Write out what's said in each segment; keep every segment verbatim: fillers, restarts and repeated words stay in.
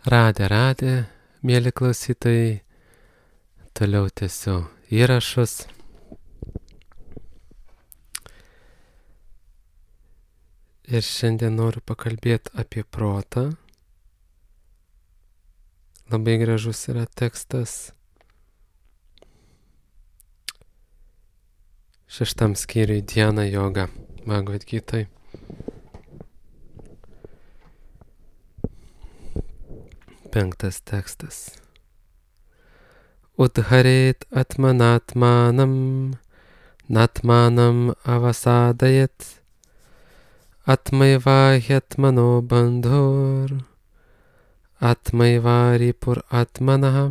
Radė, radė, mėly klausytojai, toliau tęsiu įrašus. Ir šiandien noriu pakalbėti apie protą. Labai gražus yra tekstas. Šeštam skyriui Dhyana joga Bhagavad Gitai. Penktas tekstas. Udharet atmanatmanam, natmanam avasadayat, atmaiva hyatmano bandhur, atmaiva ripur atmanaha.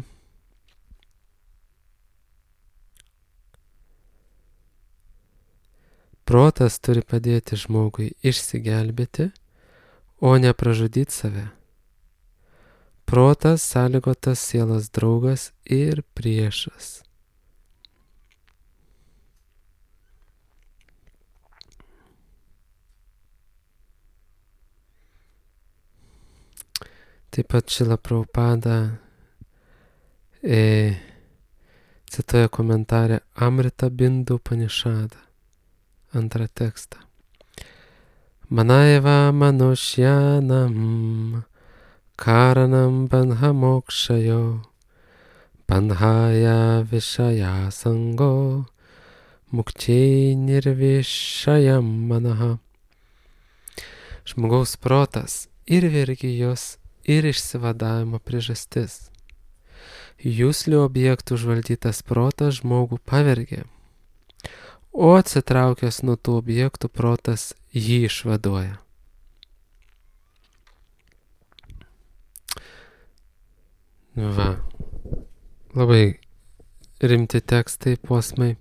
Protas turi padėti žmogui išsigelbėti, o ne pražudyti save. Protas sąlygotas sielos draugas ir priešas. Taip pat Šrila Prabhupada e, cituoja komentarę Amrita Bindu Upanishada, antrą tekstą. Manaiva manushyanam karanam bandha mokshayo, bandhaya vishaya sango, mukčiai nirvishayam manaha. Žmogaus protas ir vergijos, ir išsivadavimo priežastis. Juslių objektų užvaldytas protas žmogų pavergia, o atsitraukęs nuo tų objektų protas jį išvaduoja. Va, labai rimti tekstai, posmai.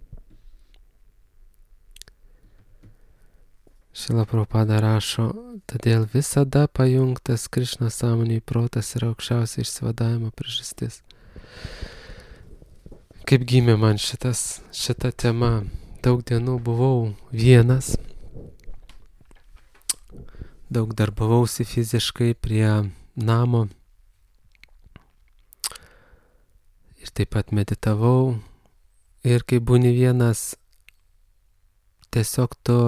Šrila Prabhupada rašo, todėl visada pajungtas Krišnos sąmonei protas yra aukščiausia išsivadavimo priežastis. Kaip gimė man šitas, šita tema, daug dienų buvau vienas, daug darbavausi fiziškai prie namo ir taip pat meditavau. Ir kai būni vienas, tiesiog tu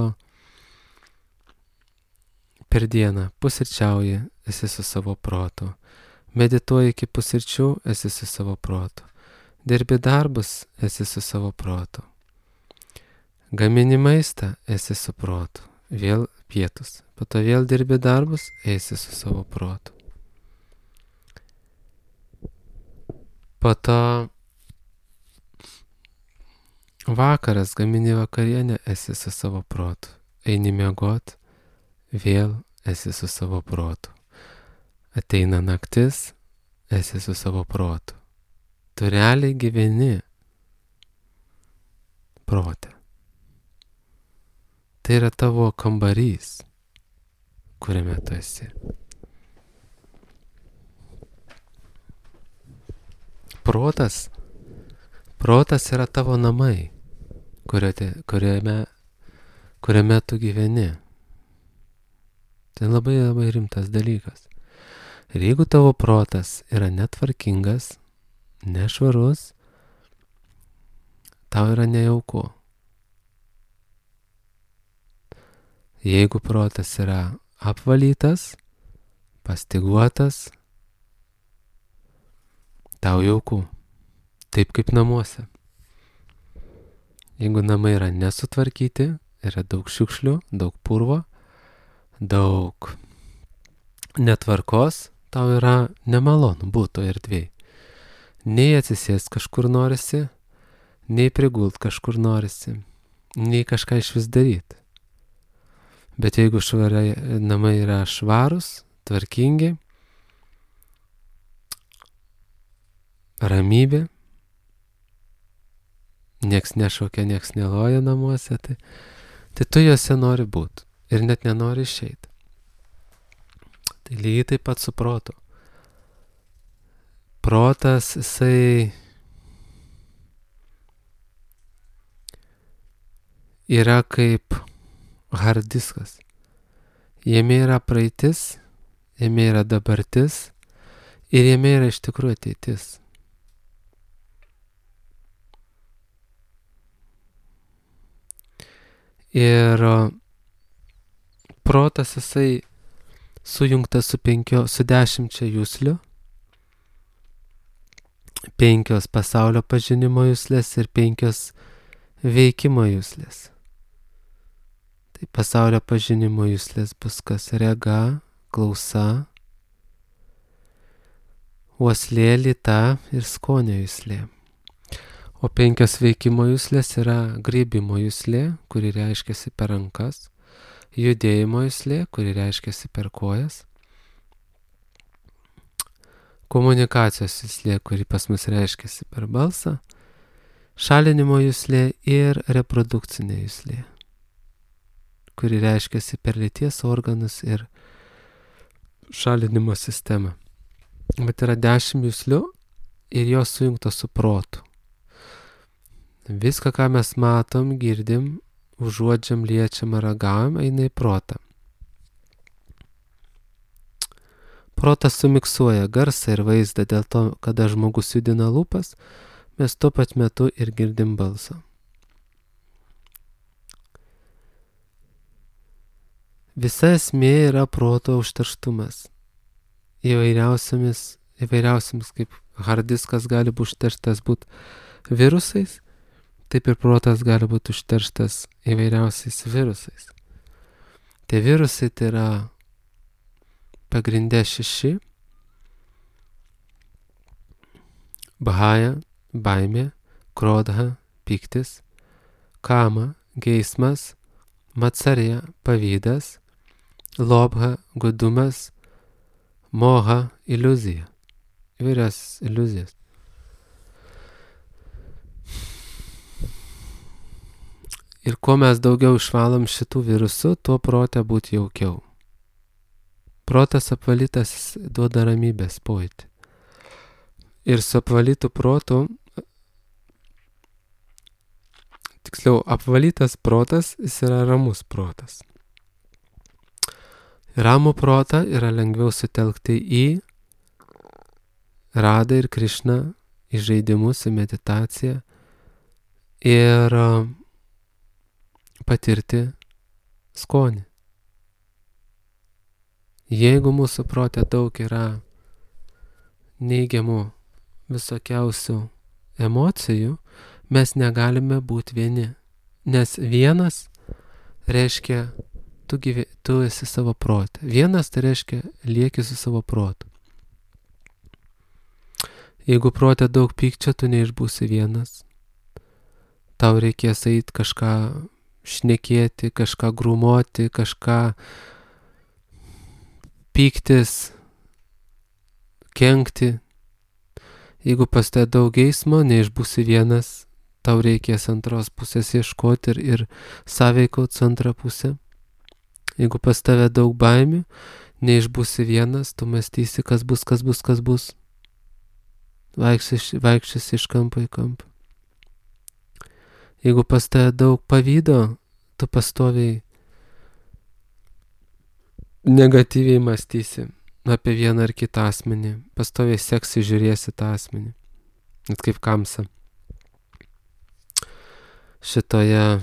per dieną pusryčiauji, esi su savo protu. Medituoji iki pusryčių, esi su savo protu. Dirbi darbus, esi su savo protu. Gamini maistą, esi su protu. Vėl pietus. Po to vėl dirbi darbus, esi su savo protu. Po to vakaras, gamini vakarienę, esi su savo protu. Eini miegot, vėl esi su savo protu. Ateina naktis, esi su savo protu. Tu realiai gyveni prote. Tai yra tavo kambarys, kuriame tu esi. Protas, protas yra tavo namai, kuriame, kuriame tu gyveni. Tai labai labai rimtas dalykas. Ir jeigu tavo protas yra netvarkingas, nešvarus, tau yra nejauku. Jeigu protas yra apvalytas, pastyguotas, tau jauku, taip kaip namuose. Jeigu namai yra nesutvarkyti, yra daug šiukšlių, daug purvo, daug netvarkos, tau yra nemalonu būti erdvėj. Nei atsisėst kažkur norisi, nei prigult kažkur norisi, nei kažką iš vis daryti. Bet jeigu švarai, namai yra švarus, tvarkingi, ramybė, nieks nešaukia, nieks neloja namuose, tai, tai tu juose nori būti ir net nenori išeiti. Tai lygiai taip pat su protu. Protas, jisai yra kaip hard diskas. Jame yra praeitis, jame yra dabartis Ir jame yra iš tikrųjų ateitis. Ir protas jisai sujungtas su penkio, su dešimčia juslių. Penkios pasaulio pažinimo juslės ir penkios veikimo juslės. Tai pasaulio pažinimo juslės bus kas rega, klausa, uoslė, lyta ir skonio juslė. O penkios veikimo juslės yra grybimo juslė, kuri reiškiasi per rankas, judėjimo juslė, kuri reiškiasi per kojas, komunikacijos juslė, kuri pas mus reiškiasi per balsą, šalinimo juslė ir reprodukcinė juslė, kuri reiškiasi per lyties organus ir šalinimo sistemą. Bet yra dešimt juslių ir jos sujungtos su protu. Viską, ką mes matom, girdim, užuodžiam, liečiam, ragaujam, eina į protą. Protas sumiksuoja garsą ir vaizdą, dėl to, kada žmogus judina lūpas, mes tuo pat metu ir girdim balsą. Visa esmė yra proto užterštumas. Įvairiausiamis, įvairiausiamis kaip hardiskas gali būti užterštas būt virusais, taip ir protas gali būti užterštas įvairiausiais virusais. Tie virusai tai yra pagrindė šeši: bahaja, baimė, krodha, pyktis, kama, geismas, matsarja, pavydas, lobha, godumas, moha, iliuzija. Įvairias iliuzijas. Ir kuo mes daugiau išvalom šitų virusų, tuo prote būti jaukiau. Protas apvalytas duoda ramybės pojūtį. Ir su apvalytu protu, tiksliau, apvalytas protas, jis yra ramus protas. Ramų protą yra lengviau sutelkti į Radą ir Krišną, į žaidimus, į meditaciją ir patirti skonį. Jeigu mūsų prote daug yra neigiamų visokiausių emocijų, mes negalime būti vieni. Nes vienas reiškia, tu, gyve, tu esi savo prote. Vienas tai reiškia, lieki su savo protu. Jeigu prote daug pykčio, tu neišbūsi vienas. Tau reikės eiti kažką šnekėti, kažką grūmoti, kažką pyktis, kenkti. Jeigu pas te daug geismo, neišbūsi vienas, tau reikės antros pusės ieškoti ir, ir sąveikauti su antra pusė. Jeigu pas tave daug baimių, neišbūsi vienas, tu mąstysi, kas bus, kas bus, kas bus. Vaikščiasi iš kampo į kampą. Jeigu pas tave daug pavydo, tu pastoviai negatyviai mąstysi apie vieną ar kitą asmenį, pastoviai seksi žiūrėsi tą asmenį. Net kaip Kamsa. Šitoje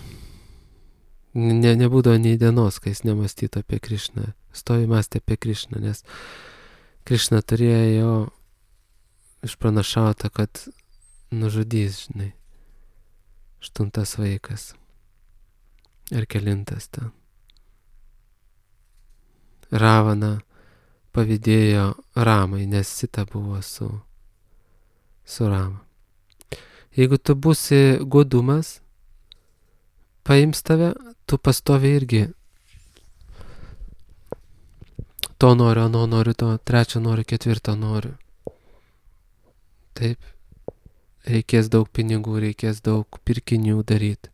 ne, nebūdavo nei dienos, kai jis nemąstytų apie Krišną. Stovi mąstė apie Krišną, nes Krišna turėjo jo išpranašauta, kad nužudys, žinai, aštuntas vaikas. Ir kelintas ten. Ravana pavydėjo Ramai, nes Sita buvo su, su Rama. Jeigu tu būsi godumas, paims tave, tu pastovi irgi to noriu, ano noriu, to trečio noriu, ketvirto noriu. Taip, reikės daug pinigų, reikės daug pirkinių daryti.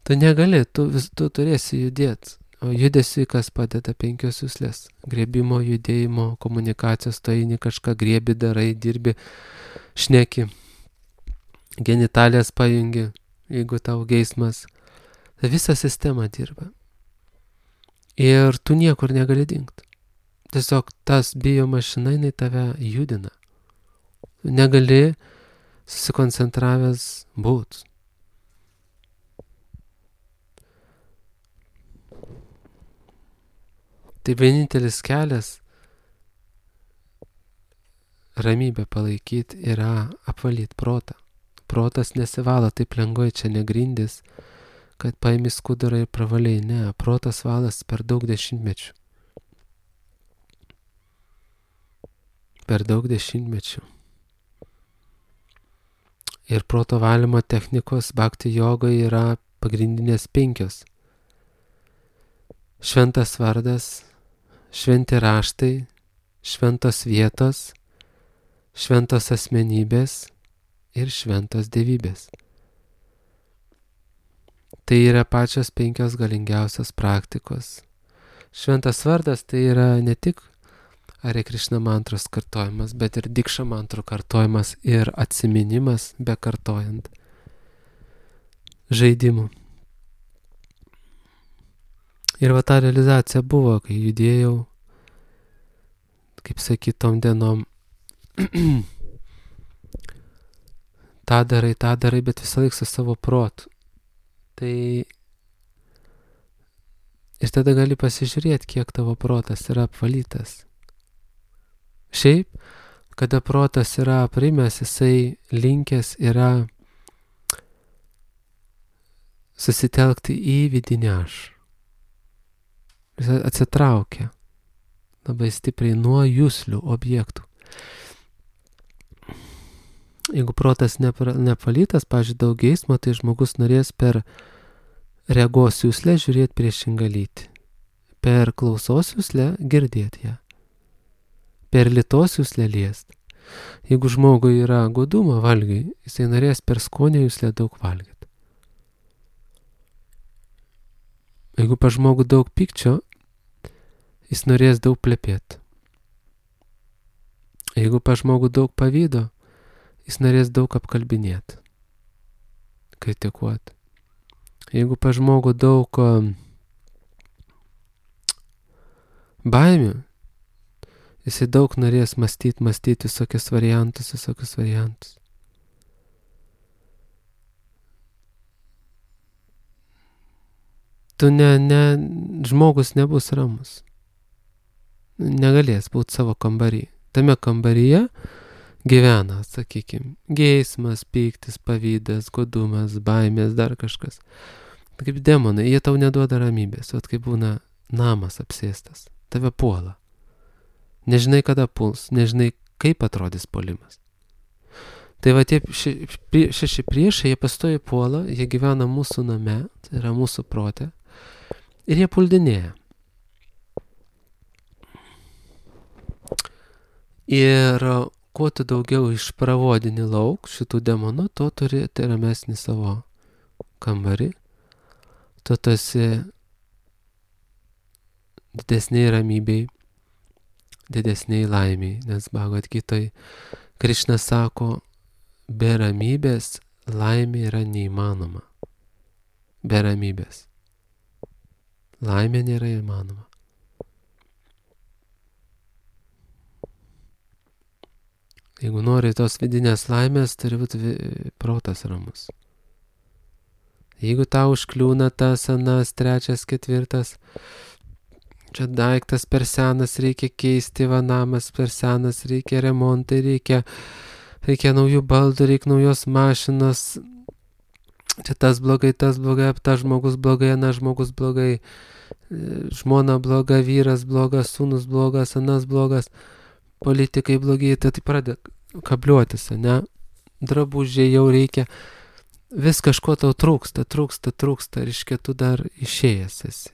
Tu negali, tu, vis, tu turėsi judėti. O judesiui kas padeda? Penkios juslės. Griebimo, judėjimo, komunikacijos, tu eini kažką griebi, darai, dirbi, šneki, genitalės pajungi, jeigu tau geismas. Ta visa sistema dirba. Ir tu niekur negali dingti. Tiesiog tas bijo mašina, jinai tave judina. negali susikoncentravęs būt. Tai vienintelis kelias ramybę palaikyti yra apvalyti protą. Protas nesivalo taip lengvai, čia negrindis, kad paimi skudurą ir pravaliai. Ne, protas valas per daug dešimtmečių. Per daug dešimtmečių. Ir proto valymo technikos bhakti jogoje yra pagrindinės penkios. Šventas vardas, šventi raštai, šventos vietos, šventos asmenybės ir šventos dievybės. Tai yra pačios penkios galingiausios praktikos. Šventas vardas tai yra ne tik Hare Krishna mantros kartojimas, bet ir Dikša mantrų kartojimas ir atsiminimas be kartojant žaidimų. Ir va ta realizacija buvo, kai judėjau, kaip sakyt, tom dienom, tą darai, tą darai, bet visą laiką su savo protu. Tai ir tada gali pasižiūrėti, kiek tavo protas yra apvalytas. Šiaip, kada protas yra aprimęs, jisai linkęs yra susitelkti į vidinį aš. Jis atsitraukia labai stipriai nuo juslių objektų. Jeigu protas neapvalytas, pavyzdžiui, daug geismo, tai žmogus norės per regos juslę žiūrėti priešingą lytį. Per klausos juslę girdėti ją. Per lytos juslę liest. Jeigu žmogui yra godumo valgiai, jisai norės per skonio juslę daug valgyti. Jeigu pa žmogų daug pykčio, jis norės daug plepėti. Jeigu pa žmogų daug pavydo, jis norės daug apkalbinėti, kritikuoti. Jeigu pa žmogų daug baimių, jisai daug norės mąstyti, mąstyti visokius variantus, visokius variantus. Tu ne, ne, žmogus nebus ramus. Negalės būti savo kambarį. Tame kambaryje gyvena, sakykime, geismas, pyktis, pavydas, godumas, baimės, dar kažkas. Kaip demonai, jie tau neduoda ramybės, o kaip būna namas apsėstas, tave puola. Nežinai, kada puls, nežinai, kaip atrodys puolimas. Tai va tie šeši, šeši priešai, jie pastoja puola, jie gyvena mūsų name, tai yra mūsų prote, ir jie puldinėja. Ir kuo tu daugiau išpravodini lauk šitų demonų, to turi tai ramesnį savo kambarį, tu esi didesniai ramybei, didesniai laimiai, nes Bhagavad Gitoj Krishna sako, be ramybės laimė yra neįmanoma. Be ramybės. Laimė nėra įmanoma. Jeigu nori tos vidinės laimės, turi būti protas ramus. Jeigu tau užkliūna tas, anas, trečias, ketvirtas, čia daiktas per senas, reikia keisti, va namas per senas, reikia remontai, reikia, reikia naujų baldų, reikia naujos mašinos, čia tas blogai, tas blogai, tas žmogus blogai, anas žmogus blogai, žmona bloga, vyras blogas, sūnus blogas, anas blogas, politikai blogi, tai tai pradeda kabliuotis, ne? Drabužiai jau reikia, vis kažko tau trūksta, trūksta, trūksta, reiškia, tu dar išėjęs esi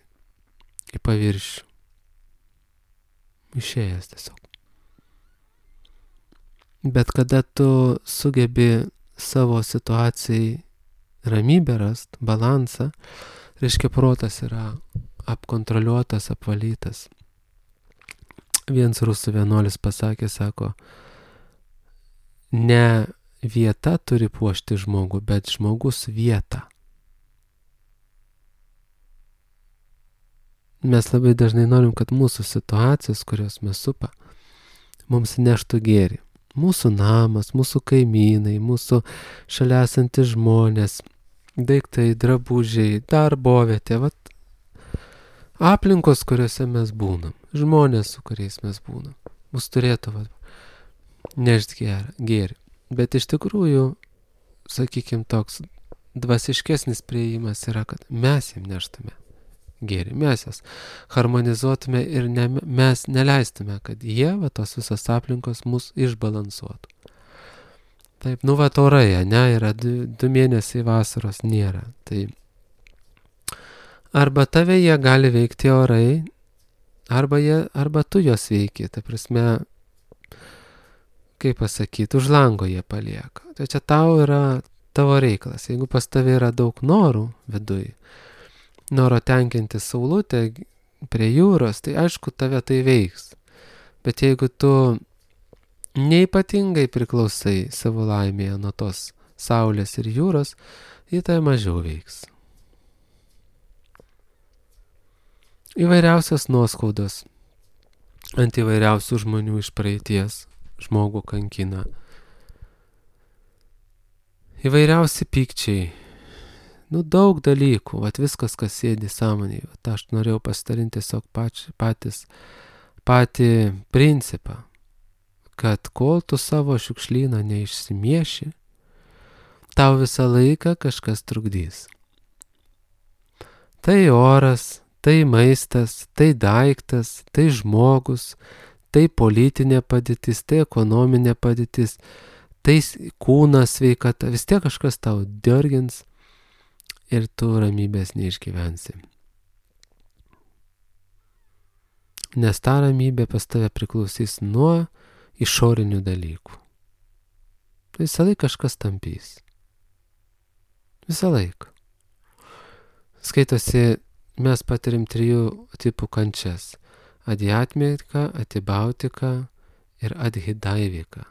į paviršių. Išėjęs tiesiog. Bet kada tu sugebi savo situacijai ramybę rast, balansą, reiškia, protas yra apkontroliuotas, apvalytas. Vienas rusų vienuolis pasakė, sako, ne vieta turi puošti žmogų, bet žmogus vietą. Mes labai dažnai norim, kad mūsų situacijos, kurios mes supa, mums neštų gėrį. Mūsų namas, mūsų kaimynai, mūsų šalia esantys žmonės, daiktai, drabužiai, darbovietė, vat, aplinkos, kuriuose mes būnam, žmonės, su kuriais mes būnam, mus turėtų vat, nešti gėrį. Bet iš tikrųjų, sakykime, toks dvasiškesnis priėjimas yra, kad mes jiem neštume gėrį, mes jas harmonizuotume ir ne, mes neleistume, kad jie, va, tos visos aplinkos mus išbalansuotų. Taip, nu va, orai, ne, yra du, du mėnesiai vasaros nėra. Tai arba tave jie gali veikti orai, arba, jie, arba tu jos veiki, ta prasme, kaip pasakyti, už lango jie palieka. Tai čia tau yra tavo reikalas. Jeigu pas tave yra daug norų viduj, noro tenkinti saulutę prie jūros, tai aišku, tave tai veiks. Bet jeigu tu neipatingai priklausai savo laimėje nuo tos saulės ir jūros, jį tai mažiau veiks. Įvairiausios nuoskaudos ant įvairiausių žmonių iš praeities žmogų kankina. Įvairiausi pykčiai. Nu, daug dalykų, vat viskas, kas sėdi sąmonėje. Vat aš norėjau pasidalinti tiesiog pač, patys, patį principą, kad kol tu savo šiukšlyną neišsimieši, tau visą laiką kažkas trukdys. Tai oras, tai maistas, tai daiktas, tai žmogus, tai politinė padėtis, tai ekonominė padėtis, tai kūnas sveikata, vis tiek kažkas tau dergins ir tu ramybės neišgyvensi. Nes ta ramybė pas tave priklausys nuo išorinių dalykų. Visą laiką kažkas tampys. Visą laiką. Skaitosi, mes patirim trijų tipų kančias. Adhyatmika, atibautika ir adhidaivika.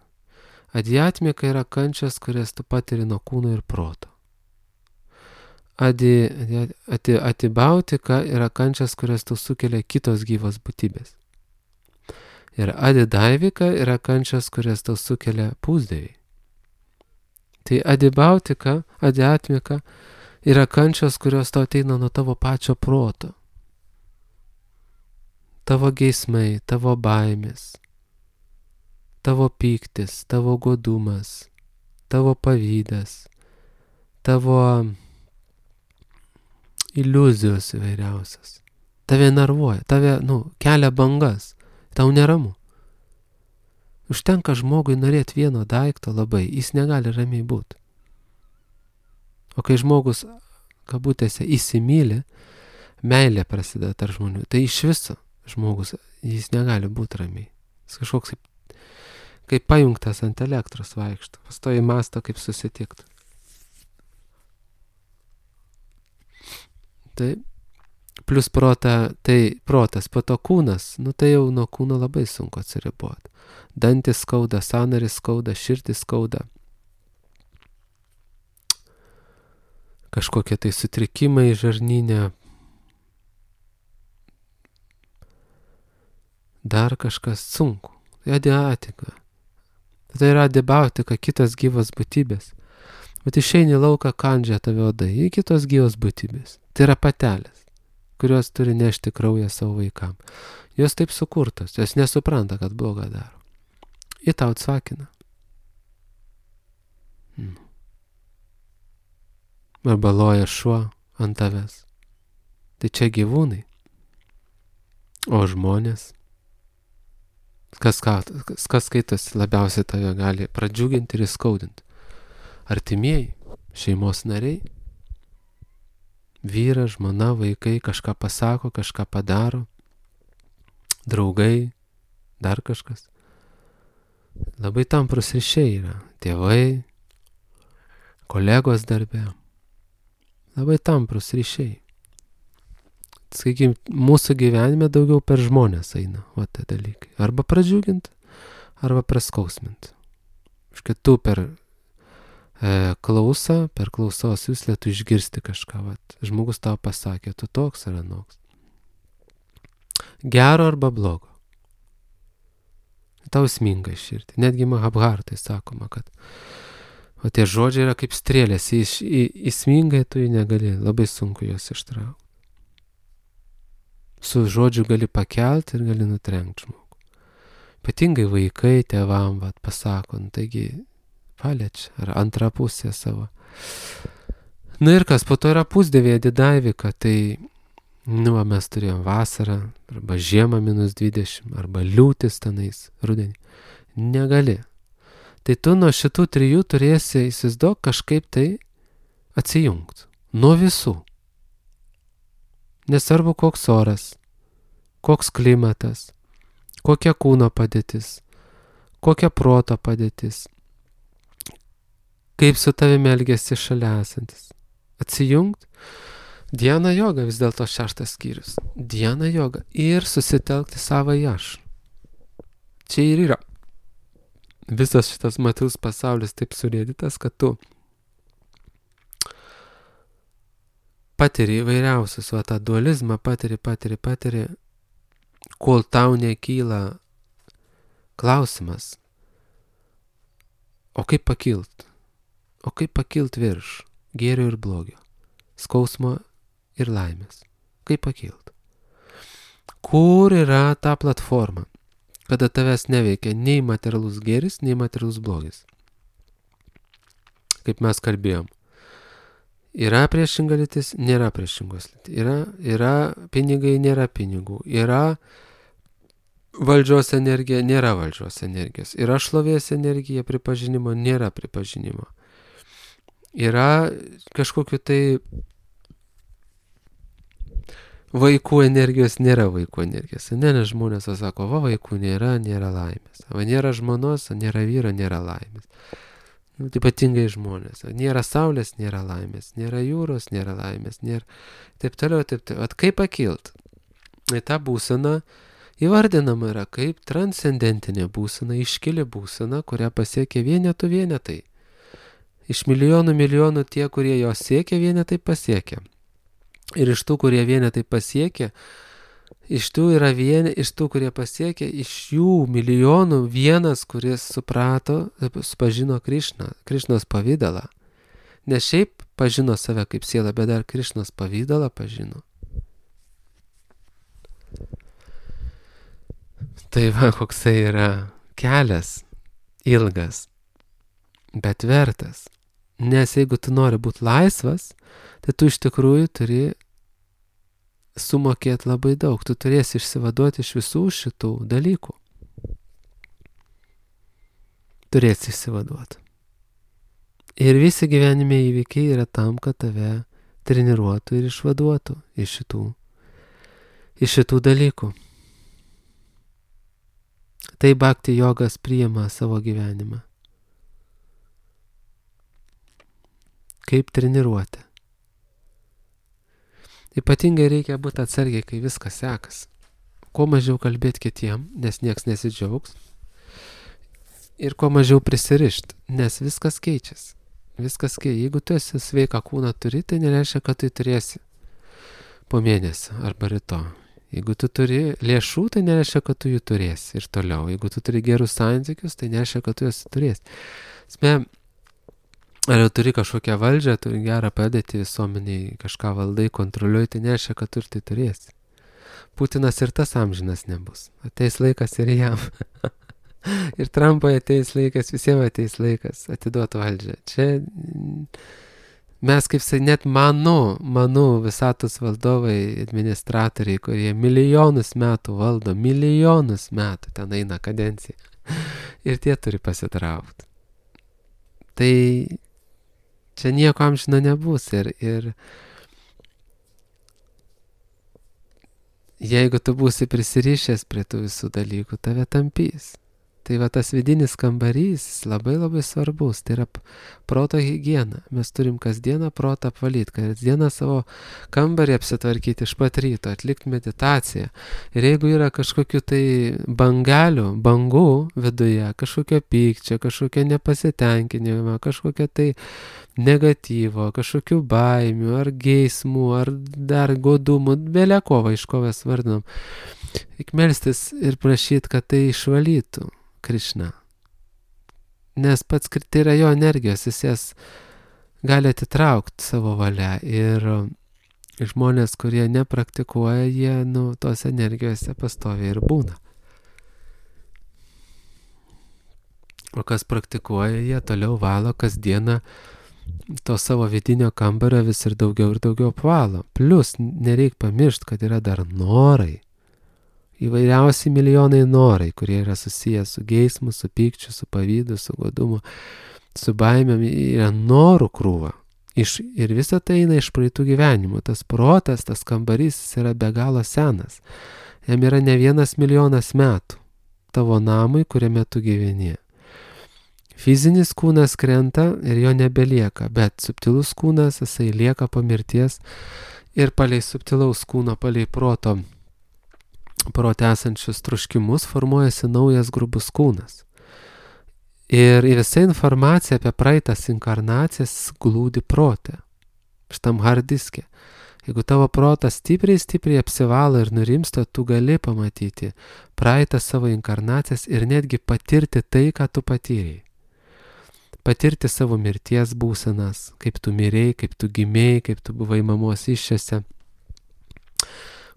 Adhyatmika yra kančias, kurias tu patiri nuo kūno ir proto. Adi, ati, atibautika yra kančias, kurias tu sukelia kitos gyvos būtybės. Ir adidaivika yra kančias, kurias tau sukelia pusdieviai. Tai adibautika, adhyatmika yra kančios, kurios tau ateina nuo tavo pačio proto. Tavo geismai, tavo baimės, tavo pyktis, tavo godumas, tavo pavydas, tavo iliuzijos įvairiausias. Tave nervuoja, tave, nu, kelia bangas, tau neramu. Užtenka žmogui norėti vieno daikto labai, jis negali ramiai būti. O kai žmogus, kabutėse, įsimyli, meilė prasideda tarp žmonių, tai iš viso žmogus, jis negali būti ramiai. Jis kažkoks kaip, kaip pajungtas ant elektros vaikšto, pastoji mąsto, kaip susitikti. Tai plus prota, tai protas, po to kūnas, nu tai jau nuo kūno labai sunku atsiriboti. Dantis skauda, sąnaris skauda, širdis skauda. Kažkokie tai sutrikimai žarnyne. Dar kažkas sunku. Tai adiatika. Tai yra adibautika, kitos gyvos būtybės. Bet išeini lauką, kandžia tave odai, į kitos gyvos būtybės. Tai yra patelės, kurios turi nešti kraują savo vaikam. Jos taip sukurtos, jos nesupranta, kad blogą daro. Į tau atsakina. Hmm. Arba loja šuo ant tavęs. Tai čia gyvūnai. O žmonės, kas, kas skaitosi labiausiai tave gali pradžiuginti ir įskaudinti. Artimieji, šeimos nariai, vyras, žmona, vaikai kažką pasako, kažką padaro, draugai, dar kažkas. Labai tamprus ryšiai yra. Tėvai, kolegos darbe. Labai tamprus ryšiai. Sakykime, mūsų gyvenime daugiau per žmonės eina, o tie dalykai. Arba pradžiuginti, arba praskausminti. Škai tu per e, klausą, per klausos juslę tu išgirsti kažką. Vat. Žmogus tau pasakė, tu toks ar anoks. Gero arba blogo. tau sminga į širdį. Netgi Mahabharatai sakoma, kad o tie žodžiai yra kaip strėlės, į, į, įsmingai tu jų negali, labai sunku juos ištraukti. Su žodžiu gali pakelti ir gali nutrenkti žmogų. Ypatingai vaikai tėvam vat, pasako, nu, taigi paliečia, ar antrą pusę savo. Na ir kas, po to yra pusdėvėje Didaivika, tai nu, mes turėjom vasarą, arba žiemą minus dvidešimt, arba liūtis tenais rudenį. Negali. Tai tu nuo šitų trijų turėsi įsivaizduok kažkaip tai atsijungti. Nuo visų. Nesvarbu koks oras, koks klimatas, kokia kūno padėtis, kokia proto padėtis, kaip su tavimi elgiasi šalia esantis. Atsijungt. Dhyana joga vis dėlto šeštas skyrius. Dhyana joga ir susitelkti savo į aš. Čia ir yra. Visas šitas materialus pasaulis taip surėdytas, kad tu patiri įvairiausius, o tą dualizmą patiri, patiri, patiri, kol tau nekyla klausimas, o kaip pakilt, o kaip pakilt virš gėrio ir blogio, skausmo ir laimės, kaip pakilt. Kur yra ta platforma, kada tavęs neveikia nei materialus gėris, nei materialus blogis. Kaip mes kalbėjom. Yra priešinga lytis, nėra priešingos lytis. Yra, yra pinigai, nėra pinigų. Yra valdžios energija, nėra valdžios energijos. Yra šlovės energija, pripažinimo, nėra pripažinimo. Yra kažkokiu tai vaikų energijos, nėra vaikų energijos. Ne, ne žmonės sako, va vaikų nėra, nėra laimės. Va nėra žmonos, nėra vyro, nėra laimės. Nu, tai ypatingai žmonės. Nėra saulės, nėra laimės. Nėra jūros, nėra laimės. Nėra... Taip toliau, taip toliau. At kaip pakilt? Tai ta būsena įvardinama yra kaip transcendentinė būsena, iškili būsena, kurią pasiekia vienetų vienetai. Iš milijonų milijonų tie, kurie jos siekia, vienetai pasiekia. Ir iš tų, kurie vienetai pasiekia, iš tų yra vieni, iš tų, kurie pasiekia, iš jų milijonų vienas, kuris suprato, pažino Krišną, Krišnos pavydalą. Ne šiaip pažino save kaip sielą, bet dar Krišnos pavydalą pažino. Tai va, koksai yra kelias, ilgas, bet vertas. Nes jeigu tu nori būti laisvas, tai tu iš tikrųjų turi sumokėti labai daug. Tu turėsi išsivaduoti iš visų šitų dalykų. Turėsi išsivaduoti. Ir visi gyvenime įvykiai yra tam, kad tave treniruotų ir išvaduotų iš šitų, iš šitų dalykų. Tai bhakti jogas priima savo gyvenimą. Kaip treniruoti. Ypatingai reikia būti atsargiai, kai viskas sekas. Kuo mažiau kalbėti kitiem, nes nieks nesidžiaugs. Ir kuo mažiau prisirišti, nes viskas keičiasi. Viskas keičiasi. Jeigu tu esi sveiką kūną turi, tai nereiškia, kad tu turėsi po mėnesio arba ryto. Jeigu tu turi lėšų, tai nereiškia, kad tu jų turėsi ir toliau. Jeigu tu turi gerus santykius, tai nereiškia, kad tu juos turėsi. Sme, ar jau turi kažkokią valdžią, turi gerą padėtį visuomeniai, kažką valdai, kontroliuoji, tai nereiškia, kad tu ir tai turėsi. Putinas ir tas amžinas nebus. Ateis laikas ir jam. Ir Trumpui ateis laikas, visiems ateis laikas atiduoti valdžią. Čia mes, kaip sakai, net manau, manau visatos valdovai, administratoriai, kurie milijonus metų valdo, milijonus metų ten eina kadencija. Ir tie turi pasitraukti. Tai čia nieko amžino nebus ir, ir jeigu tu būsi prisirišęs prie tų visų dalykų, tave tampys. Tai va tas vidinis kambarys labai labai svarbus, tai yra proto higiena. Mes turim kasdieną protą apvalyti, kasdieną savo kambarį apsitvarkyti iš pat ryto, atlikti meditaciją. Ir jeigu yra kažkokių tai bangelių, bangų viduje, kažkokio pykčio, kažkokio nepasitenkinimo, kažkokio tai negatyvo, kažkokių baimių, ar geismų, ar dar godumų, beleko va iš ko mes vardinam. Reik melstis ir prašyti, kad tai išvalytų. Krišna. Nes pats tai yra jo energijos, jis jas gali atitraukti savo valia. Ir žmonės, kurie nepraktikuoja, jie, nu, tos energijose pastoviai ir būna. O kas praktikuoja, jie toliau valo kasdieną to savo vidinio kambario vis ir daugiau ir daugiau apvalo. Plius, nereik pamiršti, kad yra dar norai. Įvairiausi milijonai norai, kurie yra susiję su geismu, su pykčiu, su pavydu, su godumu, su baimėm, yra norų krūva. Iš, ir visa tai eina iš praeitų gyvenimų. Tas protas, tas kambarys, jis yra be galo senas. Jam yra ne vienas milijonas metų tavo namui, kuriame tu gyveni. Fizinis kūnas krenta ir jo nebelieka, bet subtilus kūnas, jisai lieka po mirties ir palei subtilaus kūno, palei proto, prote esančius troškimus formuojasi naujas grubus kūnas. Ir visa informacija apie praeitas inkarnacijas glūdi prote, šitam hard diske. Jeigu tavo protas stipriai, stipriai apsivalo ir nurimsta, tu gali pamatyti praeitas savo inkarnacijas ir netgi patirti tai, ką tu patyrei. Patirti savo mirties būsenas, kaip tu mirei, kaip tu gimėjai, kaip tu buvai mamos iššiose,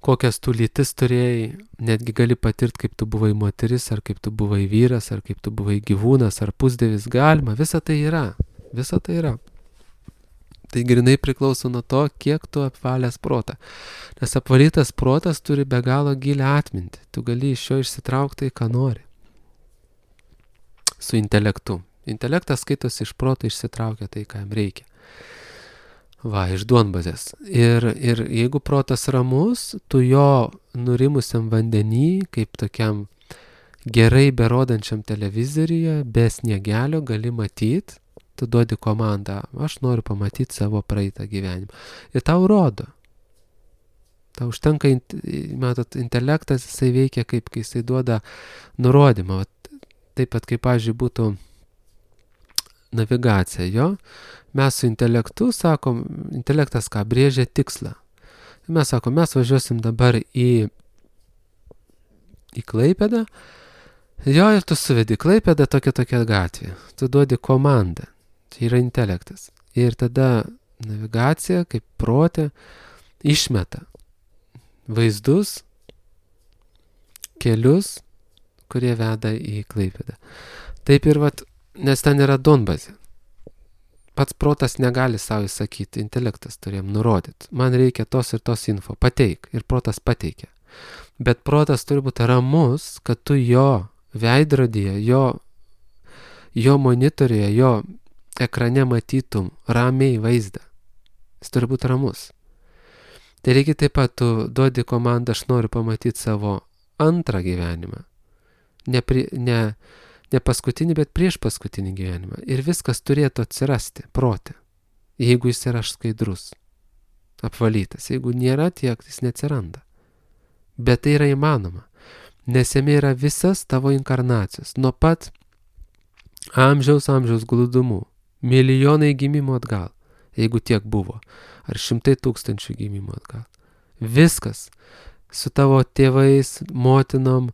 kokias tu lytis turėjai, netgi gali patirti, kaip tu buvai moteris, ar kaip tu buvai vyras, ar kaip tu buvai gyvūnas, ar pusdievis, galima, visa tai yra, visa tai yra. Tai grinai priklauso nuo to, kiek tu apvalęs protą. Nes apvalytas protas turi be galo gilią atmintį, tu gali iš jo išsitraukti, ką nori. Su intelektu. Intelektas skaitosi iš proto, išsitraukia tai, ką jam reikia. Va, iš duonbazės. Ir, ir jeigu protas ramus, tu jo nurimusiam vandenį, kaip tokiam gerai berodančiam televizoriuje, be sniegelio gali matyti, tu duodi komandą, aš noriu pamatyti savo praeitą gyvenimą. Ir tau rodo. Tau užtenka, matot, intelektas, jisai veikia kaip, kai jisai duoda nurodymą. Taip pat, kaip, pavyzdžiui, būtų navigacija, jo. Mes su intelektu sakom, intelektas ką, brėžia tikslą. Mes sakom, mes važiuosim dabar į, į Klaipėdą, jo, ir tu suvedi Klaipėdą tokia tokia gatvė. Tu duodi komandą, tai yra intelektas. Ir tada navigacija, kaip protė, išmeta vaizdus, kelius, kurie veda į Klaipėdą. Taip ir vat, nes ten yra duonbazė. Pats protas negali savo įsakyti, intelektas turėjom nurodyti. Man reikia tos ir tos info, pateik. Ir protas pateikia. Bet protas turi būti ramus, kad tu jo veidrodyje, jo, jo monitoriuje, jo ekrane matytum ramiai vaizdą. Jis turi būti ramus. Tai reikia taip pat, tu duodi komandą, aš noriu pamatyti savo antrą gyvenimą. Ne, pri, ne Ne paskutinį, bet prieš paskutinį gyvenimą. Ir viskas turėtų atsirasti prote, jeigu jis yra skaidrus, apvalytas. Jeigu nėra tiek, jis neatsiranda. Bet tai yra įmanoma, nes jame yra visas tavo inkarnacijos, nuo pat amžiaus amžiaus glūdumų, milijonai gimimų atgal, jeigu tiek buvo, ar šimtai tūkstančių gimimų atgal. Viskas su tavo tėvais, motinom,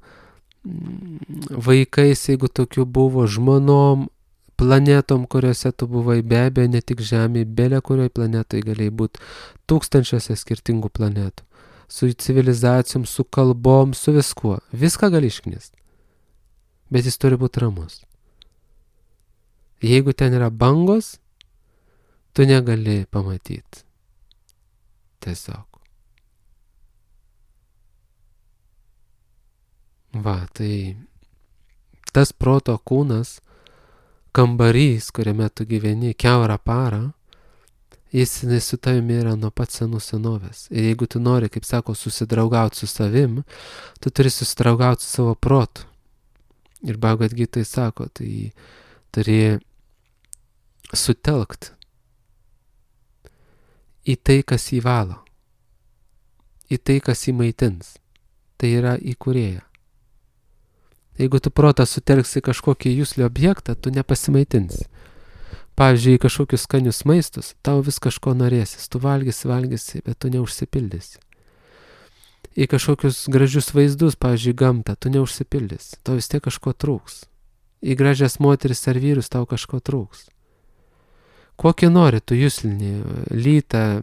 vaikais, jeigu tokių buvo, žmonom, planetom, kuriuose tu buvai, be abejo, ne tik Žemėje, belė kurioj planetoje galėjai būti tūkstančiuose skirtingų planetų, su civilizacijom, su kalbom, su viskuo. Viską gali išknist, bet jis turi būti ramus. Jeigu ten yra bangos, tu negali pamatyti. Tiesiog. Va, tai tas proto kūnas, kambarys, kuriame tu gyveni kiaurą parą, jis su tavimi yra nuo pat senų senovės. Ir jeigu tu nori, kaip sako, susidraugauti su savim, tu turi susidraugauti su savo protu. Ir Bhagavad Gita sako, tai turi sutelkt į tai, kas jį valo, į tai, kas jį maitins. Tai yra į kūrėją. Jeigu tu protą sutelksi kažkokį juslį objektą, tu nepasimaitinsi. Pavyzdžiui, į kažkokius skanius maistus, tau vis kažko norėsis, tu valgysi, valgysi, bet tu neužsipildysi. Į kažkokius gražius vaizdus, pavyzdžiui, gamtą, tu neužsipildysi, tau vis tiek kažko trūks. į gražias moteris ar vyrus tau kažko trūks. Kokį nori tu juslinį, lytą,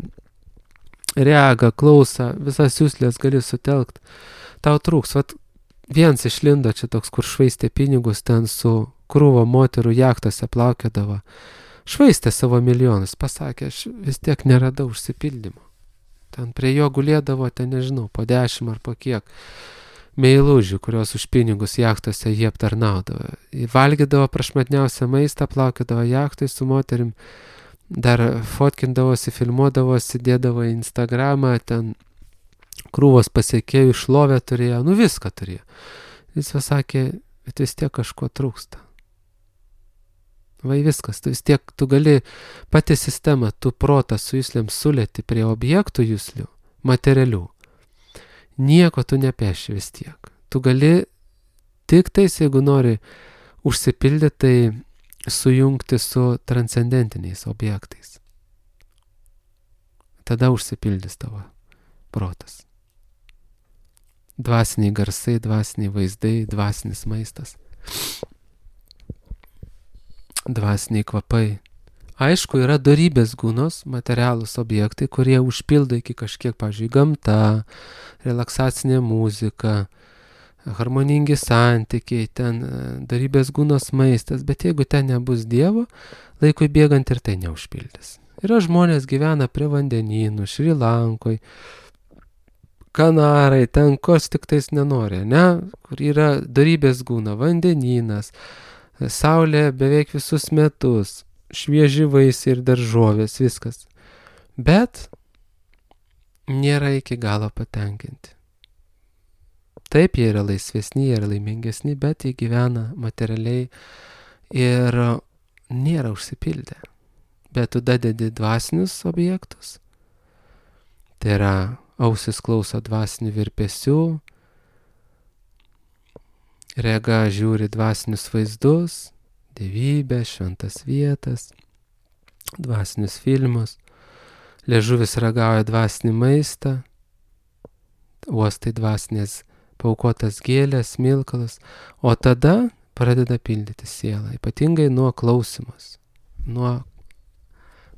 regą, klausą, visas juslės gali sutelkt, tau trūks. Vat viens išlindo čia toks, kur švaistė pinigus, ten su krūvo moterų jachtose plaukiodavo. Švaistė savo milijonus, pasakė, aš vis tiek neradau užsipildymo. Ten prie jo gulėdavo, ten nežinau, po dešimt ar po kiek meilužių, kurios už pinigus jachtose jie aptarnaudavo. Valgydavo prašmatniausią maistą, plaukiodavo jachtai su moterim, dar fotkindavosi, filmuodavosi, dėdavo į Instagramą, ten krūvos pasiekėjų, šlovę turėjo, nu viską turėjo. Jis pasakė, bet vis tiek kažko trūksta. Vai viskas, tu vis tiek, tu gali pati sistema, tu protą su juslėm sulėti prie objektų juslių, materialių. Nieko tu nepeši vis tiek. Tu gali tik tais, jeigu nori užsipildyti, tai sujungti su transcendentiniais objektais. Tada užsipildys tavo protas. Dvasiniai garsai, dvasiniai vaizdai, dvasinis maistas. Dvasiniai kvapai. Aišku, yra dorybės gūnos, materialūs objektai, kurie užpildo iki kažkiek, pavyzdžiui, gamta, relaksacinė muzika, harmoningi santykiai, ten dorybės gūnos maistas, bet jeigu ten nebus Dievo, laikui bėgant ir tai neužpildys. Yra žmonės gyvena prie vandenynų, Šri Lankoj, Kanarai, ten kos tik tais nenori, ne? Kur yra dorybės gūna, vandenynas, saulė beveik visus metus, švieži vaisiai ir daržovės, viskas. Bet nėra iki galo patenkinti. Taip, jie yra laisvesni, jie yra laimingesni, bet jie gyvena materialiai ir nėra užsipildę. Bet tu dadedi dvasinius objektus, tai yra ausis klauso dvasinių virpesių, rega žiūri dvasinius vaizdus, dievybę, šventas vietas, dvasinius filmus, liežuvis ragauja dvasinį maistą, uostai dvasinės paukotas gėlės, smilkalas, o tada pradeda pildyti sielą, ypatingai nuo klausimus, nuo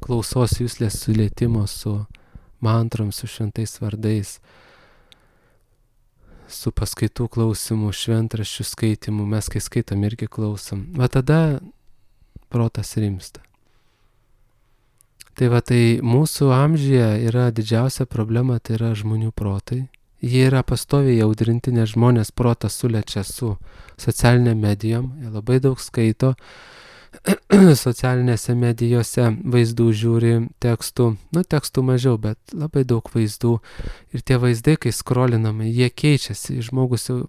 klausos juslės sulietimo su mantrom, su šventais vardais, su paskaitų klausimu, šventraščių skaitimu, mes kai skaitom irgi klausom. Va tada protas rimsta. Tai va tai mūsų amžiuje yra didžiausia problema, tai yra žmonių protai. Jie yra pastoviai audrinti, nes žmonės protą sulečia su socialinėm medijom, jie labai daug skaito, socialinėse medijose vaizdų žiūri, tekstų, nu tekstų mažiau, bet labai daug vaizdų. Ir tie vaizdai, kai skrolinami, jie keičiasi, žmogus jau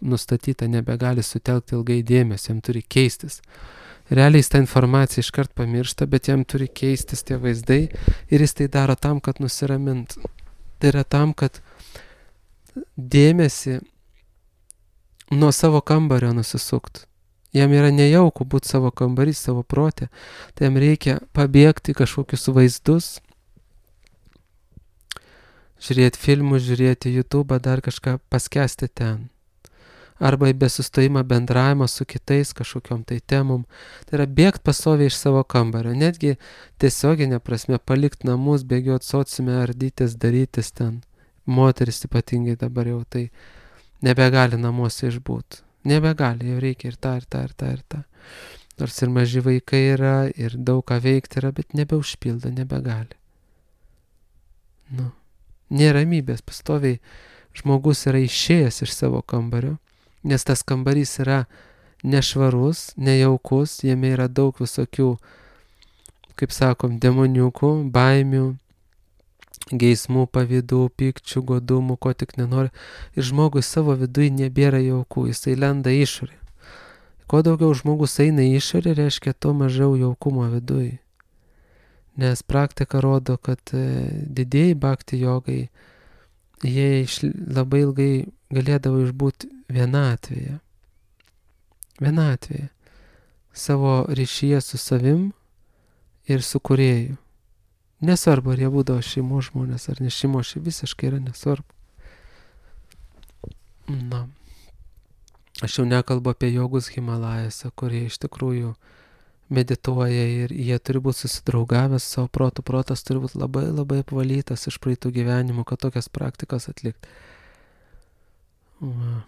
nustatyta nebegali sutelkti ilgai dėmesį, jam turi keistis. Realiai jis tą informaciją iškart pamiršta, bet jam turi keistis tie vaizdai ir jis tai daro tam, kad nusiramintų. Tai yra tam, kad dėmesį nuo savo kambario nusisuktų. Jam yra nejauku būti savo kambarį, savo protė, tai jam reikia pabėgti kažkokius vaizdus, žiūrėti filmus, žiūrėti YouTube, dar kažką paskesti ten. Arba į besustojimą bendravimą su kitais kažkokiom tai temom. Tai yra bėgti pastoviai iš savo kambario, netgi tiesioginė prasme palikti namus, bėgioti sociume, ardytis, darytis ten. Moteris ypatingai dabar jau tai nebegali namuose išbūti. Nebegali, jau reikia ir tą, ir tą, ir tą, ir tą. Nors ir maži vaikai yra, ir daug ką veikti yra, bet nebeužpildo, nebegali. Nu, nėra ramybės, pastoviai žmogus yra išėjęs iš savo kambario, nes tas kambarys yra nešvarus, nejaukus, jame yra daug visokių, kaip sakom, demoniukų, baimių, geismų, pavydų, pykčių, godumų, ko tik nenori. Ir žmogui savo viduje nebėra jaukų, jisai lenda išorė. Kuo daugiau žmogus eina išorė, reiškia, to mažiau jaukumo viduje. Nes praktika rodo, kad didieji bhakti jogai, jie iš, labai ilgai galėdavo išbūti vienatvėje. Vienatvėje. Savo ryšyje su savim ir su kūrėju. Nesvarbu, ar jie būdavo šeimos žmonės, ar ne šeimos, šie visiškai yra nesvarbu. Na. Aš jau nekalbu apie jogus Himalajose, kurie iš tikrųjų medituoja ir jie turi būti susidraugavęs savo protų, protas turi būti labai labai apvalytas iš praeitų gyvenimų, kad tokias praktikas atlikti. Va.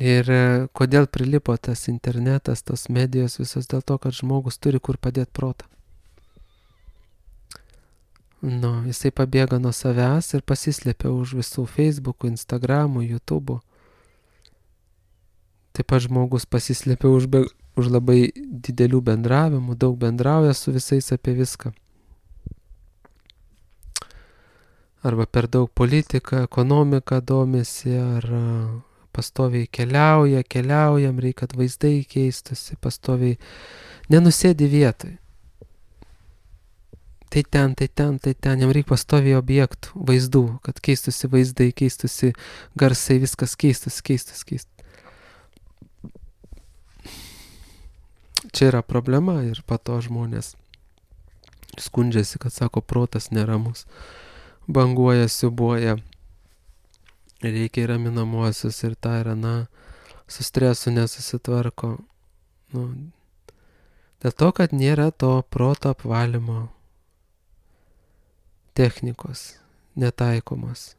Ir kodėl prilipo tas internetas, tos medijos visos, dėl to, kad žmogus turi kur padėti protą. Nu, jisai pabėga nuo savęs ir pasislėpia už visų Facebookų, Instagramų, YouTube'ų. Taip pat žmogus pasislėpia už, be, už labai didelių bendravimų, daug bendrauja su visais apie viską. Arba per daug politiką, ekonomiką domisi, ar pastoviai keliauja, keliaujam, reikia, kad vaizdai keistusi, pastoviai nenusėdi vietoj. Tai ten, tai ten, tai ten, jam reikia pastoviai objektų, vaizdų, kad keistusi vaizdai, keistusi garsai, viskas keistusi, keistusi, keistusi. Čia yra problema ir po to žmonės skundžiasi, kad sako, protas neramus, banguoja, siubuoja, reikia įraminamuosius ir tą ir aną, su stresu nesusitvarko. Nu, dėl to, kad nėra to proto apvalymo technikos, netaikomos.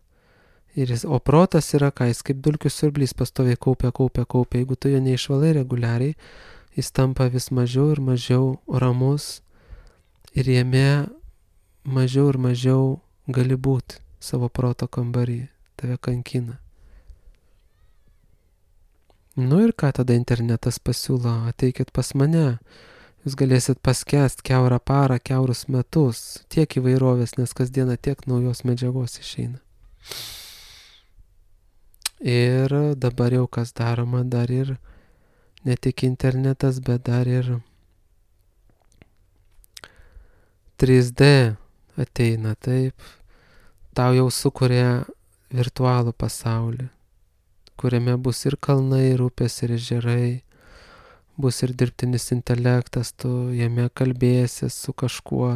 Ir jis, o protas yra ką, jis kaip dulkių siurblys pastoviai kaupia, kaupia, kaupia. Jeigu tu jo neišvalai reguliariai, jis tampa vis mažiau ir mažiau ramus ir jame mažiau ir mažiau gali būti savo proto kambarį, tave kankina. Nu ir ką tada internetas pasiūlo, ateikit pas mane, jūs galėsit paskęst kiaurą parą, kiaurus metus, tiek įvairovės, nes kasdieną tiek naujos medžiagos išeina. Ir dabar jau kas daroma, dar ir ne tik internetas, bet dar ir trys D ateina, taip, tau jau sukuria virtualų pasaulį, kuriame bus ir kalnai, ir upės, ir ežerai, bus ir dirbtinis intelektas, tu jame kalbėsi su kažkuo,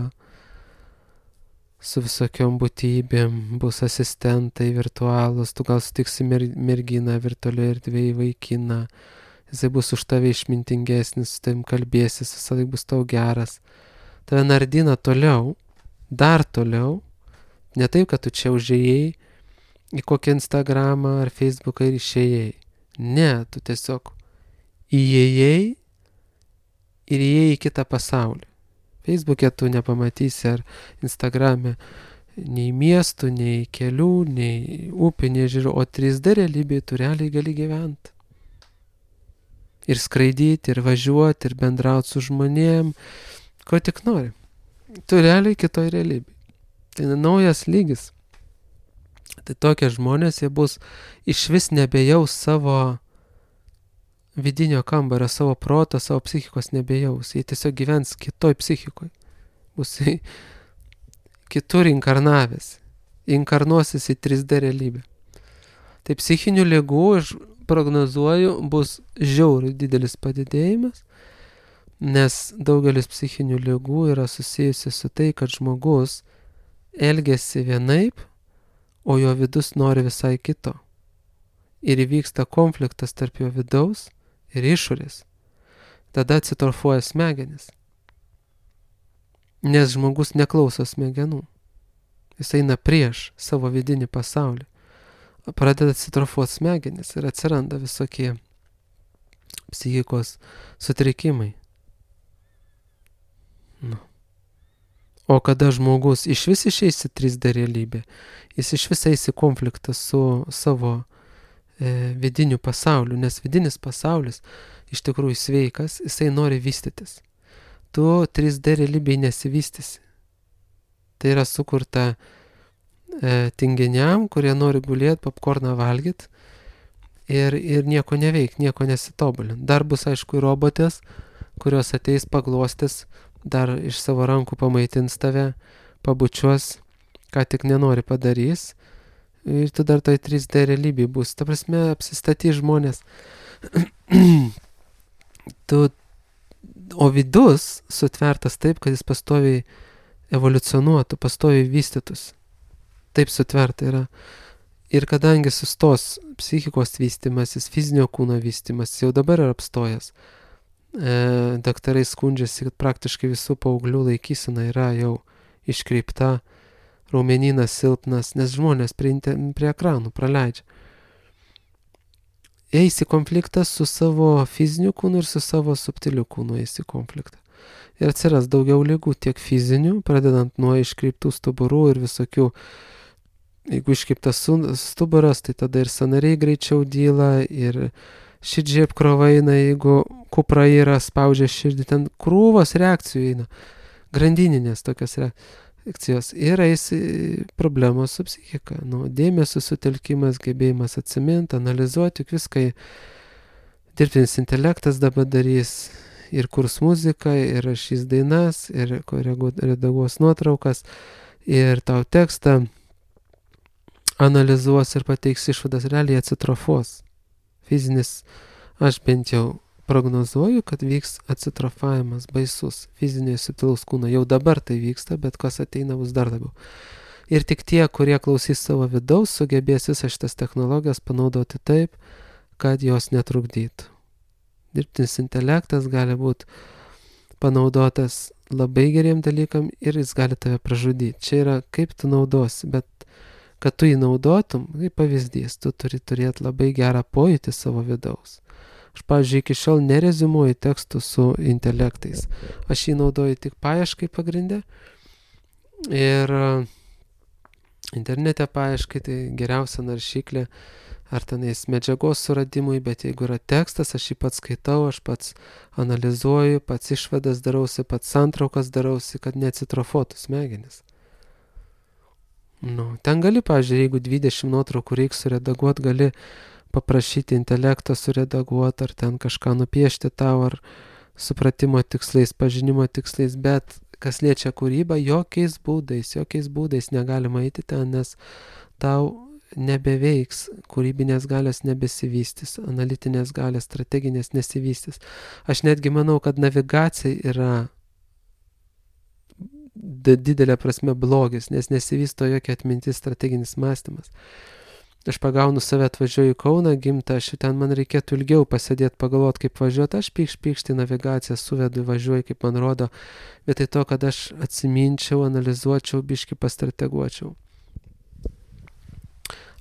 su visokiom būtybėm, bus asistentai virtualūs, tu gal sutiksi mer- merginą virtualioje erdvėje, vaikiną, jisai bus už tave išmintingesnis, su tavim kalbėsis, visada bus tau geras. Tave nardina toliau, dar toliau, ne taip, kad tu čia užėjai į kokį Instagramą ar Facebooką ir išėjai. Ne, tu tiesiog įėjai ir įėjai į kitą pasaulį. Facebook'e tu nepamatysi ar Instagram'e nei miestų, nei kelių, nei upių, nei ežerų, o trys D realybėje tu realiai gali gyventi. Ir skraidyti, ir važiuoti, ir bendrauti su žmonėm, ko tik nori. Tu realiai kitoj realybėje. Tai naujas lygis. Tai tokie žmonės, jie bus iš vis nebejaus savo vidinio kambario, savo proto, savo psichikos nebejaus. Jie tiesiog gyvens kitoj psichikoje. Bus kitur inkarnavęs. Inkarnuosis į trys D realybę. Tai psichinių ligų, aš prognozuoju, bus žiauriai didelis padidėjimas, nes daugelis psichinių ligų yra susijusi su tai, kad žmogus elgiasi vienaip, o jo vidus nori visai kito. Ir įvyksta konfliktas tarp jo vidaus ir išorės. Tada atsitrofuoja smegenis. Nes žmogus neklauso smegenų. Jis eina prieš savo vidinį pasaulį. Pradeda atsitrofuoti smegenis ir atsiranda visokie psichikos sutrikimai. Nu. O kada žmogus iš vis išeis į trys D realybę, jis iš vis eis į konfliktą su savo e, vidiniu pasauliu, nes vidinis pasaulis iš tikrųjų sveikas, jisai nori vystytis. Tu trys D realybėje nesivystysi. Tai yra sukurta e, tinginiam, kurie nori gulėti, popkorną valgyti ir, ir nieko neveik, nieko nesitobulint. Dar bus aišku robotės, kurios ateis paglostys, dar iš savo rankų pamaitins tave, pabučiuos, ką tik nenori padarys. Ir tu dar toj trys D realybėje bus. Ta prasme, apsistatys žmonės. tu, o vidus sutvertas taip, kad jis pastoviai evoliucionuotų, pastoviai vystytųsi. Taip sutverta yra. Ir kadangi sustos psichikos vystimasis, fizinio kūno vystimasis, jau dabar yra apstojęs, e, daktarai skundžiasi, kad praktiškai visų paauglių laikysena yra jau iškreipta, raumenynas silpnas, nes žmonės prie, prie ekranų praleidžia. Eis į konfliktą su savo fiziniu kūnu ir su savo subtiliu kūnu eis į konfliktą. Ir atsiras daugiau ligų, tiek fizinių, pradedant nuo iškreiptų stuburų ir visokių. Jeigu iškreiptas stuburas, tai tada ir sąnariai greičiau dyla, ir širdžiai apkrova eina, jeigu kupra yra, spaudžia širdį, ten krūvos reakcijų eina, grandininės tokios reakcijos. Ir eis problemos su psichika, nu, dėmesio sutelkimas, gebėjimas atsiminti, analizuoti, juk viską dirbtinis intelektas dabar darys, ir kurs muziką, ir rašys dainas, ir redaguos nuotraukas, ir tau tekstą analizuos ir pateiks išvadas, realiai acitrofos. Fizinis, aš bent jau prognozuoju, kad vyks acitrofavimas baisus fizinio subtilaus kūno. Jau dabar tai vyksta, bet kas ateina bus dar labiau. Ir tik tie, kurie klausys savo vidaus, sugebės visas šitas technologijas panaudoti taip, kad jos netrukdytų. Dirbtinis intelektas gali būti panaudotas labai geriem dalykam ir jis gali tave pražudyti. Čia yra kaip tu naudosi, bet kad tu jį naudotum, kaip pavyzdys, tu turi turėti labai gerą pojūtį savo vidaus. Aš, pavyzdžiui, iki šiol nereziumuoju tekstų su intelektais. Aš jį naudoju tik paieškai pagrinde. Ir internete paieškai tai geriausia naršyklė ar tenais medžiagos suradimui, bet jeigu yra tekstas, aš jį pats skaitau, aš pats analizuoju, pats išvadas darausi, pats santraukas darausi, kad neacitrofuotų smegenis. Nu, ten gali, pavyzdžiui, jeigu dvidešimt nuotraukų reiks suredaguoti, gali paprašyti intelekto suredaguoti, ar ten kažką nupiešti tau, ar supratimo tikslais, pažinimo tikslais, bet kas liečia kūrybą, jokiais būdais, jokiais būdais negalima eiti ten, nes tau nebeveiks, kūrybinės galės nebesivystys, analitinės galės, strateginės nesivystys. Aš netgi manau, kad navigacija yra didelė prasme blogis, nes nesivysto jokia atmintis, strateginis mąstymas. Aš pagaunu save, atvažiuoju į Kauną, gimtą, aš ten man reikėtų ilgiau pasėdėti, pagalvoti, kaip važiuoti, aš pykšt, pykšt į navigaciją, suvedu, važiuoju, kaip man rodo, vietoj to, kad aš atsiminčiau, analizuočiau, biškį pastrateguočiau.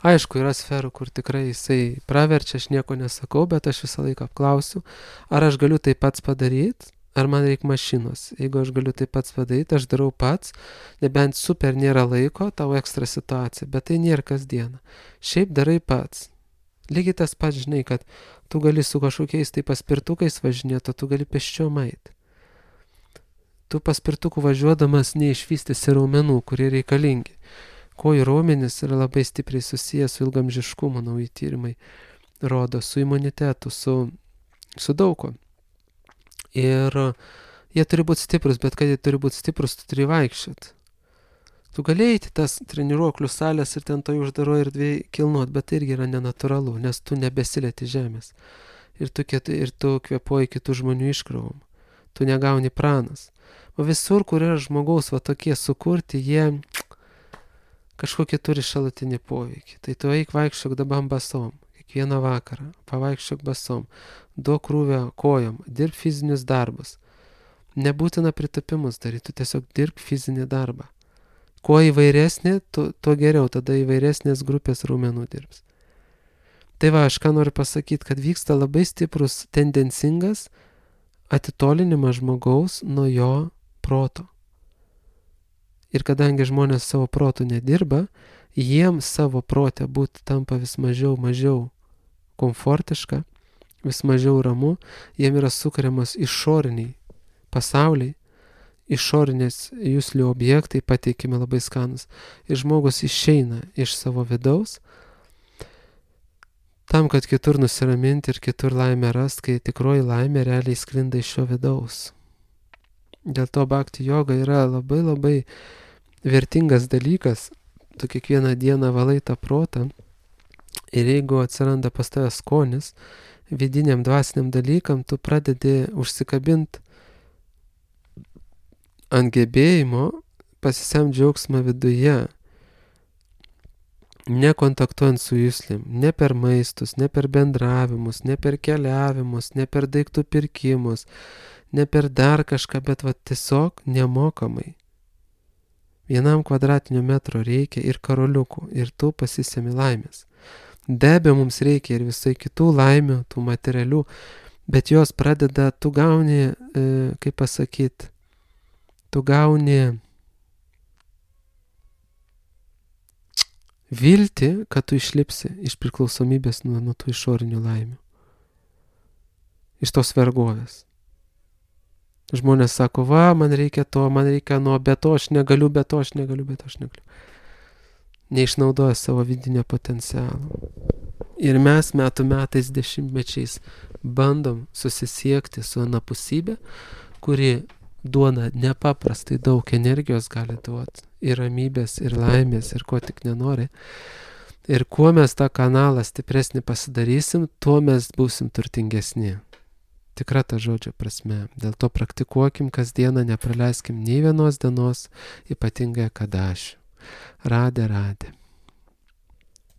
Aišku, yra sferų, kur tikrai jisai praverčia, aš nieko nesakau, bet aš visą laiką apklausiu, ar aš galiu tai pats padaryti, ar man reikia mašinos. Jeigu aš galiu tai pats padaryti, aš darau pats, nebent super nėra laiko, tau ekstra situacija, bet tai nėra kasdieną. Šiaip darai pats. Lygiai tas pats, žinai, kad tu gali su kažkokiais tai paspirtukais važinėti, o tu gali pėsčiom eiti. Tu paspirtukų važiuodamas neišvystysi raumenų, kurie reikalingi. Kojų raumenys yra labai stipriai susijęs su ilgamžiškumu, nauji tyrimai rodo, su imunitetu, su, su daug ko. Ir jie turi būti stiprus, bet kad jie turi būti stiprus, tu turi vaikščioti. Tu gali eiti tas treniruoklių salės ir ten toj uždaroje erdvėje kilnuot, bet tai irgi yra nenatūralu, nes tu nebesilieti žemės. Ir tu, ir tu kvėpuoji kitų žmonių iškravom. Tu negauni pranas. O visur, kur yra žmogaus va tokie sukurti, jie kažkokį turi šalutinį poveikį. Tai tu eik vaikščiok dabar basom. Kiekvieną vakarą, pavaikščiok basom, duok krūvę kojom, dirb fizinius darbus. Nebūtina pritapimus daryti, tu tiesiog dirb fizinį darbą. Kuo įvairesnė, tuo, tuo geriau, tada įvairesnės grupės raumenų dirbs. Tai va, aš ką noriu pasakyti, kad vyksta labai stiprus tendencingas atitolinimas žmogaus nuo jo proto. Ir kadangi žmonės savo protų nedirba, jiems savo protę būti tampa vis mažiau, mažiau komfortiška, vis mažiau ramu, jiem yra sukuriamas išoriniai pasauliai, išorinės juslių objektai pateikime labai skanus. Ir žmogus išeina iš savo vidaus, tam, kad kitur nusiraminti ir kitur laimę rast, kai tikroji laimė realiai sklinda iš šio vidaus. Dėl to bhakti joga yra labai labai vertingas dalykas. Tu kiekvieną dieną valai tą protą ir jeigu atsiranda pas tave skonis vidiniam dvasiniam dalykam, tu pradedi užsikabinti ant gebėjimo pasisemt džiaugsmą viduje. nekontaktuojant su juslėm, ne per maistus, ne per bendravimus, ne per keliavimus, ne per daiktų pirkimus, ne per dar kažką, bet va tiesiog nemokamai. Vienam kvadratinių metro reikia ir karoliukų, ir tu pasisemi laimės. Be abejo, mums reikia ir visai kitų laimių, tų materialių, bet jos pradeda, tu gauni, e, kaip pasakyti, tu gauni viltį, kad tu išlipsi iš priklausomybės nuo, nuo tų išorinių laimių, iš tos vergovės. Žmonės sako, va, man reikia to, man reikia nuo, be to aš negaliu, be to aš negaliu, be to aš negaliu. Neišnaudoja savo vidinio potencialo. Ir mes metų metais, dešimtmečiais bandom susisiekti su anapusybė, kuri duoda nepaprastai daug energijos gali duoti. Ir ramybės, ir laimės, ir ko tik nenori. Ir kuo mes tą kanalą stipresnį pasidarysim, tuo mes būsim turtingesni. Tikra ta žodžio prasme. Dėl to praktikuokim kasdieną, nepraleiskim nei vienos dienos, ypatingai kadašių. Radė, radė.